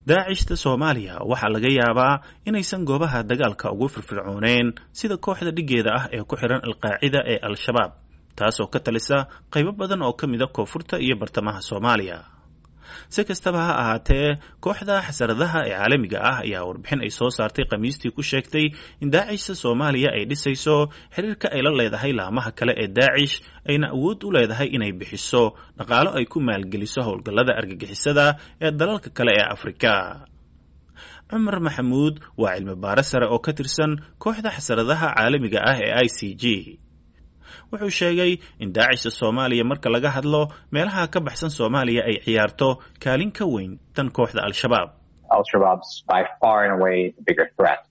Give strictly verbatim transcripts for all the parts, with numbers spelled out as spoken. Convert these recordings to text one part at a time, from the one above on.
Daacishta Soomaaliya waxaa laga yaabaa inaysan goobaha dagaalka ugu firfircooneen sida kooxda dhigeeda ah ee ku xiran Alqaacida ee Al-Shabaab, taasoo ka talisa qaybo badan oo ka mid a koonfurta iyo bartamaha Soomaaliya. Si kastaba ha ahaatee, kooxda xasaradaha ee caalamiga ah ayaa warbixin ay soo saartay Khamiistii ku sheegtay in Daacishta Soomaaliya ay dhisayso xiriirka ay la leedahay laamaha kale ee Daacish, ayna awood u leedahay inay bixiso dhaqaalo ay ku maalgeliso howlgallada argagixisada ee dalalka kale ee Afrika. Cumar Maxamuud waa cilmi baare sare oo ka tirsan kooxda xasaradaha caalamiga ah ee I C G. Wuxuu sheegay in Daacishta Soomaaliya marka laga hadlo meelaha ka baxsan Soomaaliya ay ciyaarto kaalin ka weyn tan kooxda Al-Shabaab. Al-Shabaab's by far and away the bigger threat.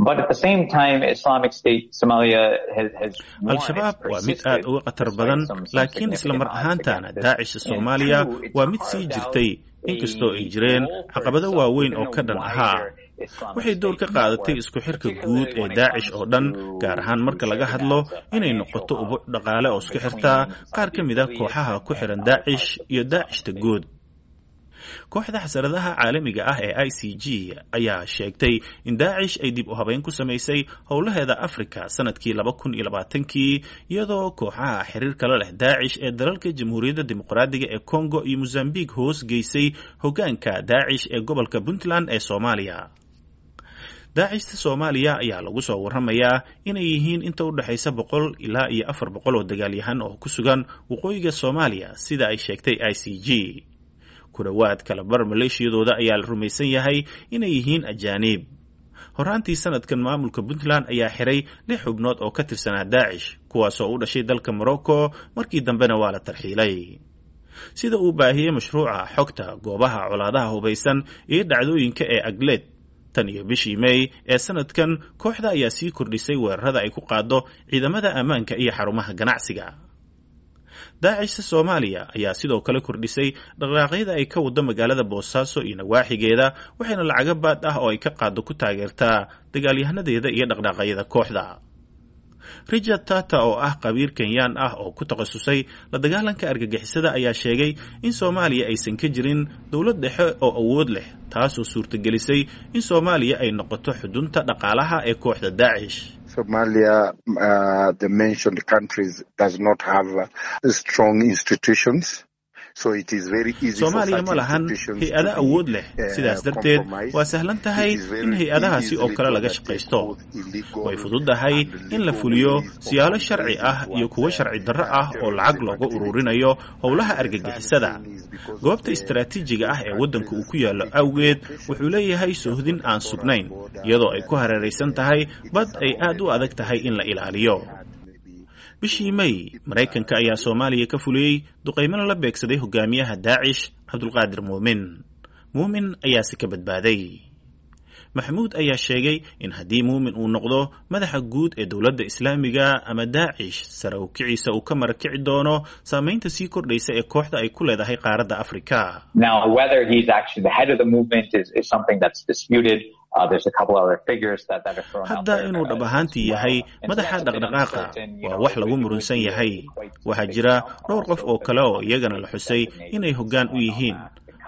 But at the same time, Islamic State Somalia has, has Al-Shabaab waa mid aad uga khatar badan, laakiin isla mar ahaantaana Daacishta Soomaaliya waa mid sii jirtay, inkastoo ay jireen caqabado waaweyn oo ka dhan ahaa. Waxay door ka qaadatay isku xirka guud ee Daacish oo dhan, gaar ahaan marka laga hadlo inay noqoto ubuc dhaqaale oo isku xirtaa qaar ka mid a kooxaha ku xiran Daacish iyo Daacishta guud. Kooxda xasaradaha caalamiga ah ee I C G ayaa sheegtay in Daacish ay dib u habeyn ku samaysay howlaheeda Afrika sanadkii laba kun iyo labaatankii, iyadoo kooxaha xiriirka la leh Daacish ee dalalka Jamhuuriyadda Dimuqraadiga ee Congo iyo Mozambique hoos geysay hoggaanka Daacish ee gobolka Puntland ee Soomaaliya. Daacishta Soomaaliya ayaa lagu soo warramayaa inay yihiin inta u dhexaysa boqol ilaa iyo afar boqol oo dagaalyahan oo ku sugan waqooyiga Soomaaliya, sida ay sheegtay I C G. Ku dhowaad kalabar maleeshiyadooda ayaa la rumaysan yahay inay yihiin ajaaniib. Horaantii sanadkan, maamulka Puntland ayaa xiray lix xubnood oo ka tirsanaa Daacish, kuwaasoo u dhashay dalka Morocco, markii dambena waa la tarxiilay. Sida uu baahiyey mashruuca xogta goobaha colaadaha hubaysan iyo dhacdooyinka ee ACLED, tan iyo bishii May ee sanadkan, kooxda ayaa sii kordhisay weerarada ay ku qaado ciidamada ammaanka iyo xarumaha ganacsiga. Daacishta Soomaaliya ayaa sidoo kale kordhisay dhaqdhaqaaqyada ay ka wado magaalada Boosaaso iyo nawaaxigeeda, waxayna lacago baad ah oo ay ka qaado ku taageertaa dagaalyahanadeeda iyo dhaqdhaqaaqyada kooxda. Richard Tata, oo ah khabiir Kenyaan ah oo ku takhasusay la dagaalanka argagixisada, ayaa sheegay in Soomaaliya aysan ka jirin dowlad dhexe oo awood leh, taasoo suurtagelisay in Soomaaliya ay noqoto xudunta dhaqaalaha ee kooxda Daacish. Somalia, uh, the mentioned countries, does not have uh, strong institutions. Soomaaliya ma lahan hay-ado awood leh, sidaas darteed waa sahlan tahay in hay-adahaasi oo kale laga shaqaysto. Way fududahay in la fuliyo siyaalo sharci ah iyo kuwo sharci darro ah oo lacag looga ururinayo howlaha argagixisada. Goobta istaraatiijiga ah ee waddanka uu ku yaallo awgeed, wuxuu leeyahay soohdin aan sugnayn, iyadoo ay ku hareeraysan tahay bad ay aad u adag tahay in la ilaaliyo. Bishii May, Maraykanka ayaa Soomaaliya ka fuliyey duqaymana la beegsaday hogaamiyaha Daacish, Cabdulqaadir Muumin. Muumin ayaase ka badbaaday. Maxamuud ayaa sheegay in haddii Muumin uu noqdo madaxa guud ee dowladda Islaamiga ama Daacish, sare u kiciisa uu ka marakici doono saamaynta sii kordhaysa ee kooxda ay ku leedahay qaaradda Afrika. Now, whether he's actually the head of the movement is, is something that's disputed. Hadda inuu dhab ahaantii yahay madaxa dhaqdhaqaaqa waa wax lagu murunsan yahay. Waxaa jira dhowr qof oo kale oo iyagana la xusay inay hoggaan u yihiin.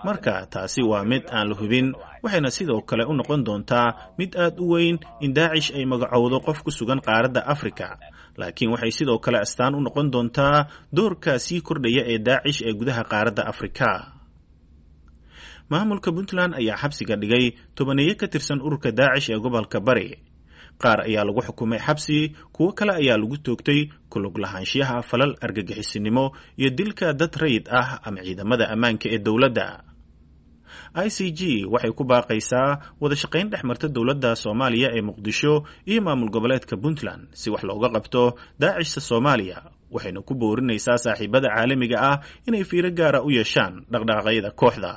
Marka taasi waa mid aan la hubin, waxayna sidoo kale u noqon doontaa mid aad u weyn in Daacish ay magacowdo qof ku sugan qaaradda Afrika, laakiin waxay sidoo kale astaan u noqon doontaa doorka sii kordhaya ee Daacish ee gudaha qaaradda Afrika. Maamulka Puntland ayaa xabsiga dhigay tobaneeyo ka tirsan ururka Daacish ee gobolka Bari. Qaar ayaa lagu xukumay xabsi, kuwo kale ayaa lagu toogtay kulug lahaanshiyaha falal argagixisinimo iyo dilka dad rayid ah ama ciidamada ammaanka ee dowladda. I C G waxay ku baaqaysaa wada shaqayn dhex marta dowladda Soomaaliya ee Muqdisho iyo maamul goboleedka Puntland si wax looga qabto Daacishta Soomaaliya, waxayna ku boorinaysaa saaxiibada caalamiga ah inay fiiro gaara u yeeshaan dhaqdhaqaaqyada kooxda.